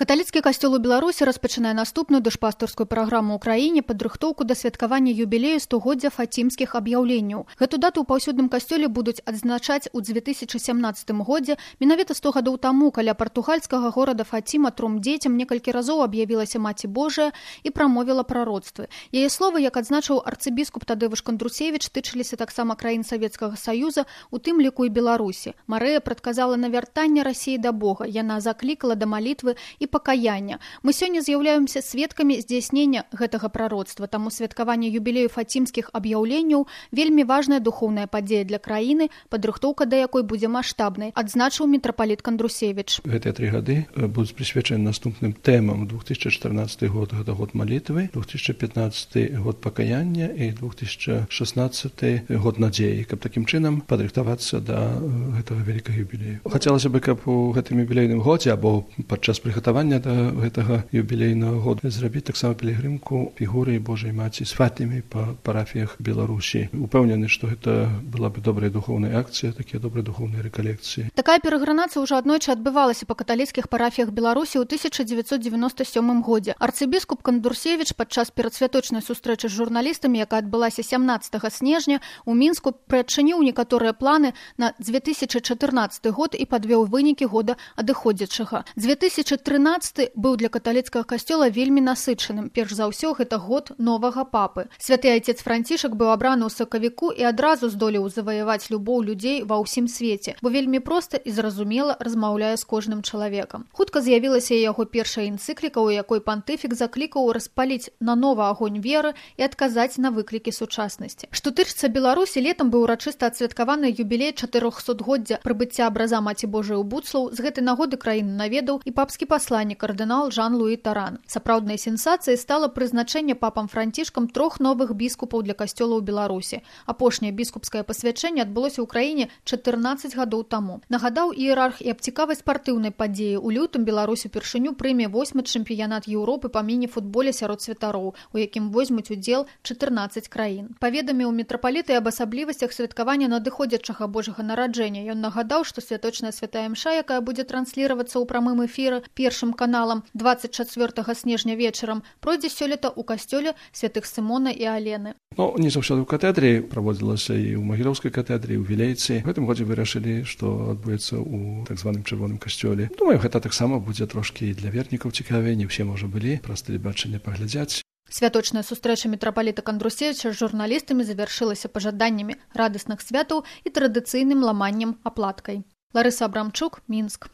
Каталіцкі касцёл у Беларусі распачынае наступную душпастырскую праграму ў краіне падрыхтоўку да святкавання юбілею 100годдзя фацімскіх аб'яўленняў. Гэту дату ў паўсюдным касцёле будуць адзначаць у 2017 годзе. Менавіта 100 гадоў таму каля партугальскага горада Фатіма тром дзецям некалькі разоў аб'явілася Маці Божая і прамовіла прароцтвы. Яе словы, як адзначыў арцыбіскуп Тадеуш Кандрусевіч, тычыліся таксама краін Савецкага Саюза, у тым ліку і Беларусі. Марыя прадказала навяртанне Расіі да Бога. Яна заклікала да малітвы і пакаяння. Мы сёння з'яўляемся сведкамі здзяйснення гэтага прароцтва, таму святкаванне юбілею фатімскіх аб'яўленняў вельмі важная духоўная падзея для краіны, падрыхтоўка да якой будзе маштабнай, адзначыў мітрапаліт Кандрусевіч. Гэтыя 3 гады будуць прысвечаны наступным тэмам. 2014 год гэта год малітвы, 2015 год пакаяння і 2016 год надзеі, каб такім чынам падрыхтавацца да гэтага вялікага юбілею. Хацелася бы, каб у гэтым юбілейным годзе або падчас прыгатавання да гэтага юбілейнага года зрабіць таксама пілігрымку фігуры Божай Маці з Фатімай па парафіях Беларусі. Упэўнены, што гэта была бы добрая духоўная акцыя, такія добрыя духоўныя рэкалекцыі. Такая перагранацыя ўжо аднойчы адбывалася па каталіцкіх парафіях Беларусі ў 1997 годзе. Арцыбіскуп Кандрусевіч падчас перадсвяточнай сустрэчы з журналістамі, якая адбылася 17 снежня, у Мінску прыадчыніў некаторыя планы на 2014 год і падвёў вынікі года адыходзячага. 2013 быў для каталіцкага касцёла вельмі насычаным. Перш за ўсё, гэта год новага папы. Святы айцец Францішак быў абраны ў сакавіку і адразу здолеў заваяваць любоў людзей ва ўсім свеце, бо вельмі проста і зразумела размаўляе з кожным чалавекам. Хутка з'явілася яго першая энцыкліка, у якой пантыфік заклікаў распаліць нанова агонь веры і адказаць на выклікі сучаснасці. Што тычыцца Беларусі, летам быў урачыста адсвяткаваны юбілей 400годдзя прыбыцця абраза Маці Божай у Буцлаў. З гэтай нагоды краіну наведаў і папскі пасланнік кардынал Жан-Луі Таран. Сапраўднай сенсацыяй стала прызначэнне папам Францішкам 3 новых біскупаў для касцёла ў Беларусі. Апошняе біскупскае пасвячэнне адбылося ў краіне 14 гадоў таму. Нагадаў іерарх і аб цікавай спартыўнай падзеі. У лютым Беларусь упершыню прыме 8-й чэмпіянат Еўропы па міні-футболе сярод святароў, у якім возьмуць удзел 14 краін. Паведаміў мітрапаліт і аб асаблівасцях святкавання надыходзячага Божага нараджэння. Ён нагадаў, што святочная святая імша, якая будзе трансліравацца ў прамым эфіры Першым каналам 24 снежня вечарам, пройдзе сёлета ў касцёле святых Сымона і Алены. Не заўсёды ў катедры, праводзілася і ў Магілёўскай катедры, і ў Вілейцы. В гэтым годзе вырашылі, што адбудзецца ў так званым чырвоным касцёле. Думаю, гэта таксама будзе трошкі і для вернікаў цікавей, не ўсе, можа, былі, праз тэлебачанне паглядзяць. Святочная сустрэча мітрапаліта Кандрусевіча з журналістамі завяршылася пажаданнямі радасных святаў і традыцыйным ламаннем аплаткай. Ларыса Абрамчук, Мінск.